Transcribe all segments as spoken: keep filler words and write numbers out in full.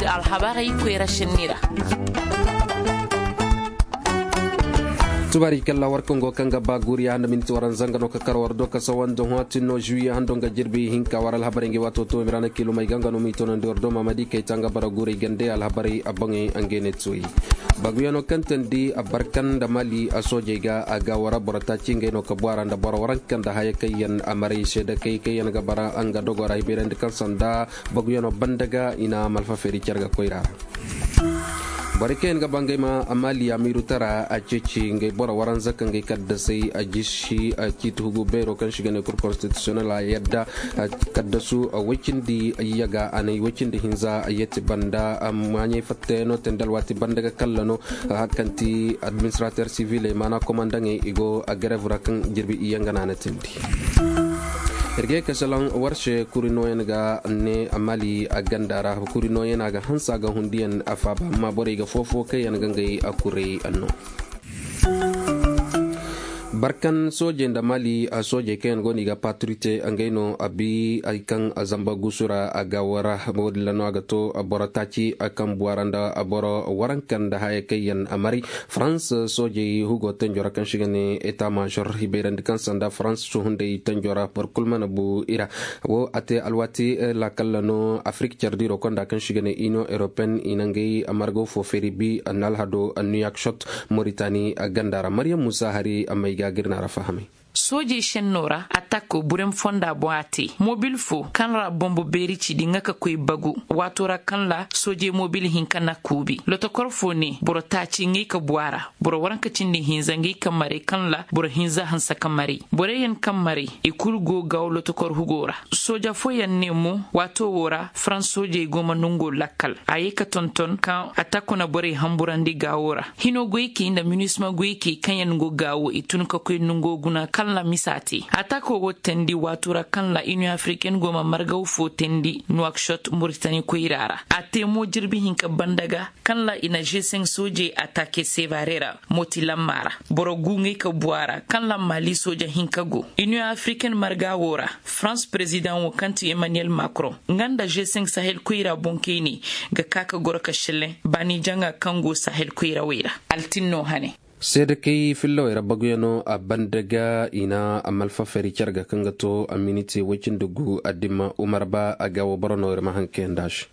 Alhabarey koyra sinni ra. Tubaari kalla war kaŋ go kaŋ ga ba guuriya handa minti waranza nga no ka kar war do ka sawa nda hõati no juwiye hando nga jirbi hinka war alhabarey ngi waato to mi ra na kiilumey ga nga no mi tonandi war do mamadi kay ta nga bara guurey gande alhabarey a boŋey a ngey ne tuwey. Baguyaŋo kaŋ tandi a barkan nda mali a soojey ga a ga wara boro taaci ngey no ka bu a ra nda boro waranka nda haya kaŋ yaŋ a maray seedakey kaŋ yaŋ ga bara nga dogo ra hibayrandi kaŋ sanda baguyaŋo banda ga i na malfa feeri care ga koyra ra. Borey kaŋ yaŋ ga ba ngey ma mali amiiru tara a ceeci ngey boro waranza kaŋ gay kaddasey a jisi a ciiti hugu beero kaŋ si ga ne kur konstitisiyonel a yadda kaddasu woy cindi yaga a na i woy cindi hinza yeti banda maaɲey fattayaŋo tandi alwaati banda ga kalla no. Hari kaŋ ti administrater siviley maana komandaŋey i go a garev ra kaŋ jirbi iyyaŋ ga na a na tindi. Ir ga ye ka salaŋ war se kuri nooyaŋ ga ne mali a ganda ra kuri nooyaŋ a ga hanse a ga hundiyaŋ a faaba amma borey ga foo-foo kaŋ yaŋ ga ngey a kurey no. Barkan soojey nda mali soojey kaŋ yaŋ go no i ga paturite ngey no a bi hari kaŋ zamba gusu ra a ga wara. Wo- din ra no a ga to boro taaci kaŋ buwara nda boro waranka nda haya kaŋ yaŋ a mari farans soojey hugo tanjo ra kaŋ si ga ne eta maazor i bayrandi kaŋ sanda farans suhunday tanjo ra boro kulu mana bu i ra. Wo a te alwaati laakalla no afirik care diiro konda kaŋ si ga ne iniyoŋ europeyen i na ngey margaw fo feeri bi a na alhado a niw york shot moritani ganda ra maryam muusa hari a may ga ga ir na ra fahamay. Soojey senno ra atak burem fonda boŋ a te mobil fo kaŋ ra bombo beeri ci di ŋa ka koy bagu waato ra kaŋ ra soojey mobil hinka na kuubi lotokor fo ne boro taaci ŋay ka bu a ra. Boro waranka cindi hinza ŋay ka maray kaŋ ra boro hinza hanse ka maray. Borey yaŋ kaŋ maray i kulu go gaawo lotokor hugo ra. Sooja fooyaŋ ne mo waato wo ra farans soojey go ma nongo lakkal a ye ka tonton kaŋ atako na borey hamburandi gaawo ra. Hino goykey nda minisma goykey kaŋ yaŋ go gaawo i tun ka koy nongo guna kaŋ ra misa te atako wo teendi waato ra kaŋ ra iniyoŋ afiriken go ma margaw fo teendi nuwakshot moritani koyra ra. A te mo jirbi hinka banda ga kaŋ ra i na g cinq soojey atake sevare ra. Moti lamma ra boro gu ŋay ka bu a ra kaŋ ra mali sooja hinka go iniyoŋ afiriken marga wo ra. Farans perezidaŋ wo kaŋ ti emmanuel macron nga nda g cinq sahel koyra boŋ kayne ga ka ka goro ka šelleŋ baani jaŋa kaŋ go sahel koyrawey ra. Altinno hane. Seedakey fillawey ra baguyaŋo a banda ga i na a malfa fari care ga kaŋ ga to a miniti woy cindi gu a dimma umar ba a ga wo boro no ir ma haŋ kayandi a se.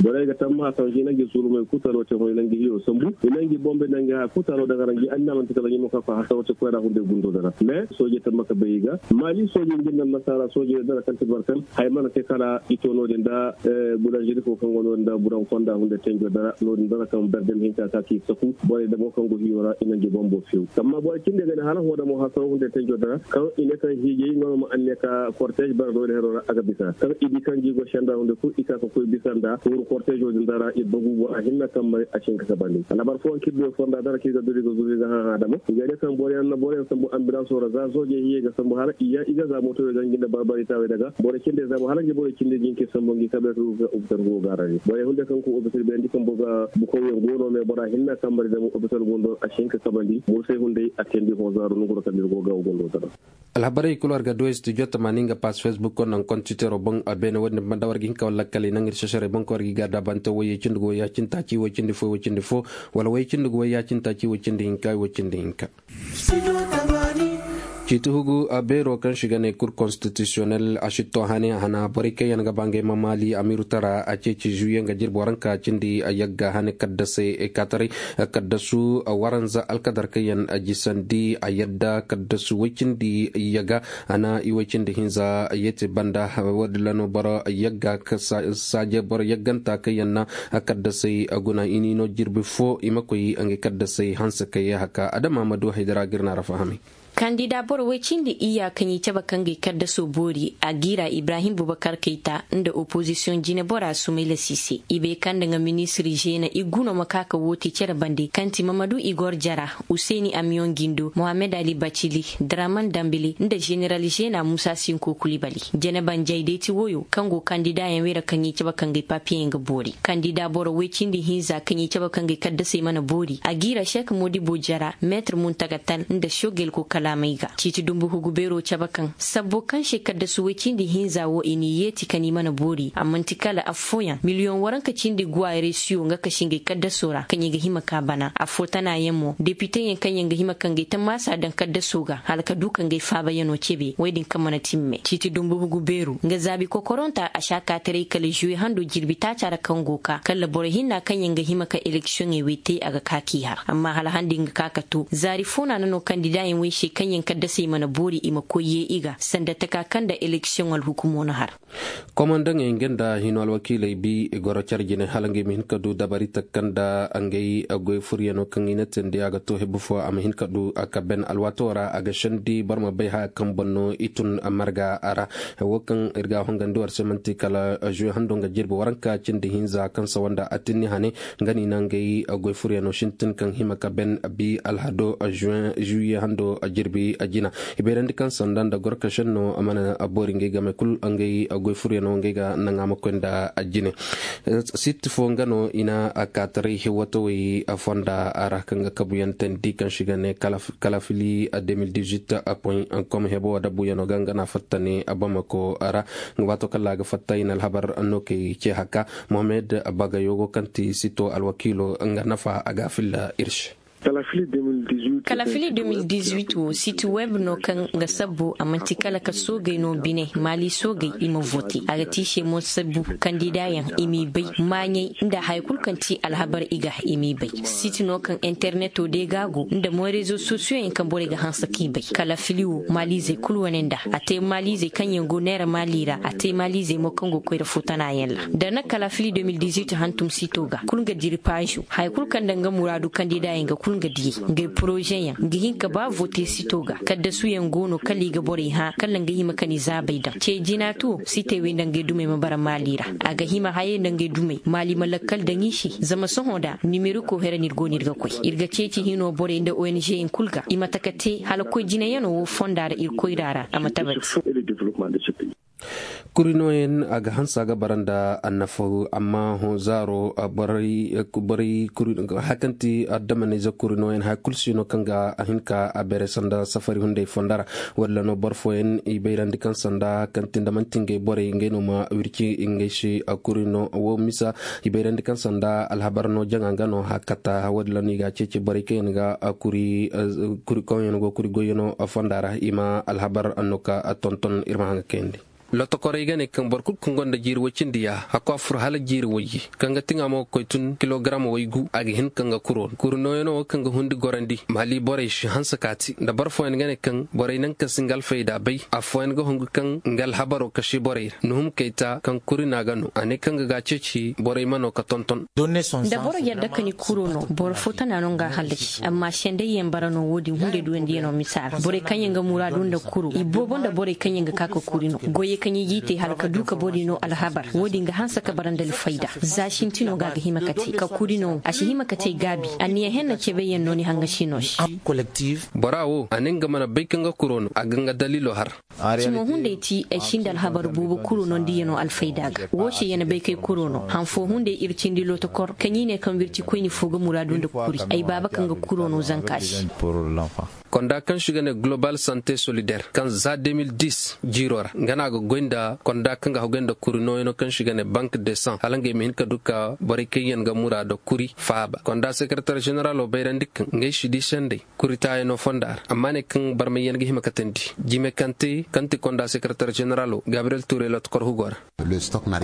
Borey ga tammaha kaŋ i na ngi surumey kulu talo te hõ i na ngi hiyo sambu i na ngi bombe na ngi haya kulu talo daŋ a ra ngi annaamante kala ngi mo ka koy hasaro te koyra hunday gundo dara mais soojey tamma ka bay i ga maali soojey ngi nda annasaara soojey dara kaŋ ti barkan haya mana te kala i to no-din nda bulanžeri fo kaŋ go no-din nda buran fonda hunday tenjo dara no-din dara kaŋ berdem hinka ka ki saku borey damo kaŋ go hiyo ra i na ngi bombo few amma borey cindey ga ne hala hoo damo hasaro hunday tenjo dara kaŋ i ne kaŋ hiijey nga no ma anniya ka kortez bara no-din hero ra a ga bisa kaŋ i di kaŋ gi go senda hunday kulu i ka ka koy bisa nda huru kortezo din dara i bagu bora hinna kaŋ mari a si hin ka kabandi alhabar fooyaŋ kaŋ ir du fonda dara kaŋ ir ga duri ga zuru ir ga hã hã dama i ga ne kaŋ boroyaŋ na boroyaŋ sambu ambilanso ra za soojey hiyey ga sambu hala i ya i ga za motoyo ga ngi nda barbari taawey daga boro cindey za mo hala ngi boro cindey ga hin ka sambu ngi kabeeto ga opital go gaarandi borey hunday kaŋ go opital bayandi kambo ga bukawyaŋ go no me bora hinna kaŋ mari dama opital go ndo a si hin ka kabandi mursey hunday a teendi hõ zaaru nongu ra kaŋ ir go ga wo gondo dara. Alhabarey kulu war ga du studio tamaani nga pass facebook konda nga kontitero boŋ a beene wo-din banda war ga hin ka wala lakkaley naŋ ir sesarey boŋ kaŋ war ga i ga daabante woy cindi go woy ya cindi taaci woy cindi fo woy cindi fo wala woy cindi go woy ya cindi taaci woy cindi hinka woy cindi hinka. Ciiti hugu a beero kaŋ si ga ne kur konstitisiyonel a si to hane a hana borey kaŋ yaŋ ga ba ngey ma maali amiiru tara a ceeci zuwiye nga jirbi waranka cindi a yagga hane kaddasey kaataray kaddasu waranza alkadar kaŋ yaŋ a jisandi a yadda kaddasu woy cindi yaga a na i woy cindi hinza yeeti banda wo- din ra no boro yagga saaje boro yagganta kaŋ yaŋ na kaddasey guna i n'i no jirbi fo i ma koy ngey kaddasey hanse kaŋ yee haka adama ma du haydara ga ir na ra fahamay. Kandida boro woy cindi iyya kaŋ i cabe ka ngey kaddaso boori a g'i ra ibrahim bubakar kayta nda opozisiyoŋ jinebora sumayla siise i bay kaŋ nda nga ministir žeena i guno ma ka ka woote cere bande kaŋ ti mamadu igor jara, useni amiyoŋ gindo mohammed ali bacili, draman dambili nda ženeral žeena musa sinko kulibali. Jenebanjey day ti wooyo kaŋ go kandidaayaŋ wey ra kaŋ i cabe ka ngey papiyeyaŋ ga boori kandida boro woy cindi hinza kaŋ i cabe ka ngey kaddasey mana boori a g'i ra šek modibo jara meetir muntaga tal nda šogel ko kala. Amay ga ciiti dumbu hugu beero cabe kaŋ sabbo kaŋ se kaddasu woy cindi hinza wo i n'i yeeti ka ni mana boori a man'ti kala affooyaŋ miliyoŋ waranka cindi guwa resiyo nga ka si ngey kaddasoo ra kaŋ i ga hima ka bana affoo tanaayaŋ mo depiteyaŋ kaŋ yaŋ ga hima ka ngey tammaasa daŋ kaddasoo ga hala ka du ka ngey faabayanoo cebe woy din kaŋ mana timme ciiti dumbu hugu beeru nga zaabi kokoronta a si a kaataray kala zuwe hando jirbi taaca ra kaŋ go ka kala boro hinna kaŋ yaŋ ga hima ka eleksiyoŋey wey te a ga ka k'i har amma hala handi nga ka ka to zaari foo na no kandidaayaŋ wey se kaŋ yaŋ kaddasey mana boori i ma koy yee i ga sanda taka kaŋ nda eleksiyoŋ alhukumoo na har. Komandaŋey nga nda hino alwakiiley bi i goro care jine hala ngey ma hin ka du dabari taka nda ngey goy furyanoo kaŋ i na teendi a ga to hebu fo a ma hin ka du a ka ben alwaatoo ra a ga sendi boro ma bay haya kaŋ boŋ no i tun marga a ra. Wo kaŋ ir ga a hongandi war se man'ti kala zuwe hando nga jirbi waranka cindi hinza kaŋ sawa nda atinni hane nga no i na ngey goy furyanoo sintin kaŋ hima ka ben bi alhado zuwe hando jirbi jina. I bayrandi kaŋ sanda nda gorka senno mana boori ngey game kul ngey goy furyanoo ngey ga naŋ a ma koy nda jine. Sitti fo nga no i na kaataray hewatawey fonda ra kaŋ ga kabuyaŋ teendi kaŋ se i ga ne kalafili de mil dix-huit point com hebo woo dabuyanoo ga nga no a fatta ne bamako ra. Waato kaŋ ra a ga fatta i na alhabar no kay ce haka mohammed bagayo go kaŋ ti sito alwakiilo nga nafa a ga a filla ir se. Kalafili de mil dix-huit wo siti web no kaŋ ga sabbu a man'ti kala ka soogey no bine maali soogey i ma vote a ga te i se mo sabbu kandidaayaŋ i m'i bay maaɲey nda haya kul kaŋ ti alhabar i ga i m'i bay. Siti no kaŋ interneto day ga a go nda mo rezo sosiyoyaŋ kaŋ borey ga hanse k'i bay kalafili wo maaliizey kul wane nda a te maaliizey kaŋ yaŋ go neera maali ra a te maaliizey mo kaŋ go koyra foo tanaayaŋ ra da na kalafili de mil dix-huit hantum sito ga kul nga diri paazo haya kul kaŋ nda nga muraadu kandidaayaŋ ga kul nga diyey ngey porozeyaŋ ga hin ka ba vote sito ga kaddasuyaŋ go no kala i ga borey hã kala nga hima ka ni zaabay daŋ ce jinaatu wo sitey wey nda ngey dumey ma bara maali ra. A ga hima hayey nda ngey dumey maali ma lakkal daŋ i se zama sohõ da nimeriko here no ir go no ir ga koy ir ga ceeci hino borey nda ong yaŋ kul ga i ma taka te hala koy jinayanoo wo fonda ra ir koyra ra a ma tabati. Kuri nooyaŋ a ga hanse a ga bara nda annafaw amma hõ zaaro borey kuri haya kaŋ ti adamanize kuri nooyaŋ haya kul si no kaŋ ga a hin ka a beere sanda safari hunday fonda ra. Walla no boro fooyaŋ i bayrandi kaŋ sanda kaŋ ti nda man'ti ngey borey ngey no ma wirci ngey se. Kuri no wo misa i bayrandi kaŋ sanda alhabar no jaŋa nga no hakata walla no i ga a ceeci borey kaŋ yaŋ ga kuri kaŋ yaŋ go kuri goyyanoo fonda ra i ma alhabar no ka tonton ir ma haŋ ga kayandi. Lotokorey ga ne kaŋ boro kul kaŋ gonda jiiri woy cindi ya hakku a fur hala jiiri woyye kaŋ ga tiŋa mo ga koy tun kilogaram woy gu a ga hin ka nga kuro no kuri nooyanoo wo kaŋ ga hundi gorandi maali borey si hanse kaati nda boro fooyaŋ ga ne kaŋ borey naŋ ka si nga alfayda bay. Affooyaŋ ga hungu kaŋ nga alhabaro kase borey ra nuhum kayta kaŋ kuri no a ga no a ne kaŋ ga ga a ceeci borey ma no ka tonton. Da boro yadda ka ni kuro no boro fo tana no nga a hallasi amma sendayyaŋ bara no wo-din hunday duwandiyaŋo misa ra borey kaŋ yaŋ ga muraadu nda kuro i boobo nda borey kaŋ yaŋ ga ka ka kuri no goyey kaŋ i g'i te hala ka du ka borey no alhabar wo-din ga hanse ka bara nda alfayda. Za sintino ga a ga hima ka te ka kuri no a si hima ka te gaabi anniya henna cebeyyaŋ no ni hangasi no se. Bora wo a ne nga mana bay kaŋ ga kuro no a ga nga daliilo har. Cimo hunday ti ay sinda alhabar boobo kuro no nda i ya no alfayda ga wo se ya na bay kay kuro no han fo hunday ir cindi lotokor kaŋ i ne kaŋ wirci koyni fo ga muraadu nda kuri ay baaba kaŋ ga kuro no zanka se. Konda kaŋ se i ga ne global sante solidaire kaŋ za de mil dis jiiro ra nga no a ga goy nda konda kaŋ ga haguy nda kuri nooyaŋo kaŋ se i ga ne bank de san hala ngey ma hin ka du ka borey kaŋ yaŋ ga muraado kuri faaba konda sekaratar ženeralo bayrandi kaŋ ngey si di sendey kuri taayaŋo fonda ra amma ne kaŋ barmayyaŋ ga hima katandi jime kaŋ te kaŋ ti konda sekaratar ženeralo gabriyel ture lotokor hugo ra.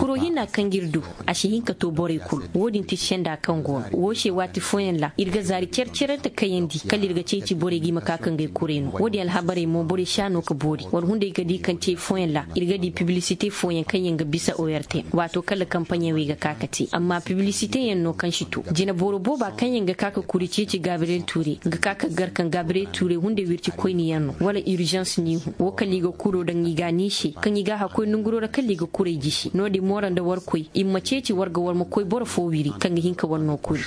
Kuro hinna kaŋ ga ir du a si hin ka to borey kulu wo-din ti senda kaŋ go no wo se waati fooyaŋ ra ir ga zaari care-care nda kayandi kala ir ga ceeci borey ga i ma ka ka ngey kurey no wo-din alhabarey mo borey si a no ka boori war hunday ga di kaŋ te fooyaŋ ra ir ga di piblisite fooyaŋ kaŋ yaŋ ga bisa ortm waato kala kampaɲey wey ga ka ka te amma piblisiteyaŋ no kaŋ si to jine boro booba kaŋ yaŋ ga ka ka kuri ceeci gabriyel ture ga ka ka gar kaŋ gabriyel ture hunday wirci koyniyaŋ no wala urzans niihu wo kala i ga kuro daŋ i ga a ni se kaŋ i ga a hakkoy nanguro ra kala i ga kurey jisi no-din mo ra nda war koy i ma ceeci war ga war ma koy boro fo wiri kaŋ ga hin ka war no kuri.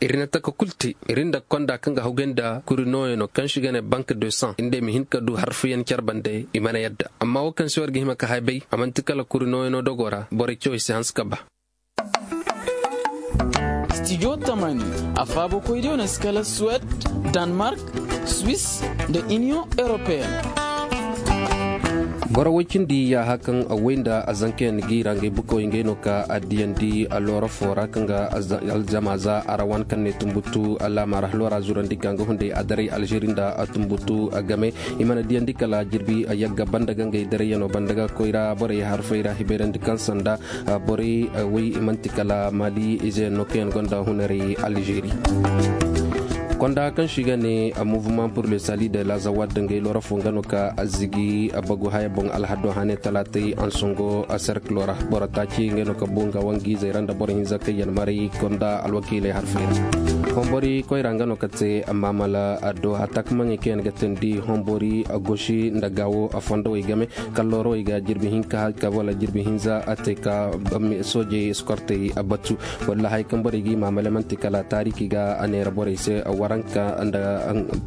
Ir na taka kul te ir nda konda kaŋ ga hawgay nda kuri nooyaŋo kaŋ se i ga ne bank de san nda i ma hin ka du harfuyaŋ care bande i mana yadda amma wo kaŋ se war ga hima ka hay bay a man'ti kala kuri nooyaŋo dogo ra borey cawey si hanse ka ba. Studio tamani, a faabakoydiyo na si kala suwed, danmark, swiss, nda iniyoŋ europeyen. Boro woy cindi yaaha kaŋ a woy nda a zankayaŋ ga i ra ngey bukawey ngey no ka a diyandi a loora foo ra kaŋ ga, aljama za a ra wan kaŋ ne tumbutu a laama ra loora zurandi ka nga hunday a daray alžeri nda a tumbutu a game. I mana diyandi kala jirbi a yagga banda ga ngey darayyaŋo banda ga koyra borey harfey ra hibayrandi kaŋ sanda borey woy i manti kala mali izeyaŋ no kaŋ yaŋ gonda hunarey alžeri. Konda kaŋ si ga ne a mouvement pour le sali de la zawad da ngey lorafo nga no ka a zigi a bagu haya boŋ alhado hane talaatay ansongo a serkilo ra boro taaci nga no ka bu nga wangiizey ra nda boro hinza kaŋ yaŋ maray konda alwakiiley harfey ra. Hombori koyra nga no ka te amma mala addo hatta ka maŋey kaŋ yaŋ ga teendi hombori a gosi nda gaawo a fondowey game. Kalloorowey ga jirbi hinka ka wala jirbi hinza a te ka soojey eskortey a batu. Walla hay kaŋ borey ga i maamale manti kala taariki ga a neera borey se waranka nda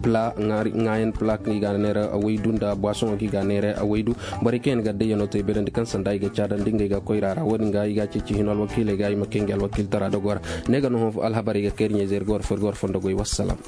pla ŋaayan pla kaŋ i ga a neera waydu nda buwasoŋo kaŋ i ga a neera waydu. Borey kaŋ yaŋ ga dayyanoo te bayrandi kaŋ sanda i ga caadandi ngey ga koyra ra wo-din ga i ga a ceeci hino alwakiiley ga i ma kay ngey alwakiiltara dogo ra. Ne ga no hõ alhabarey ga kayri ɲayzey ra ga war fo ir ga war fondo goy wassalaam.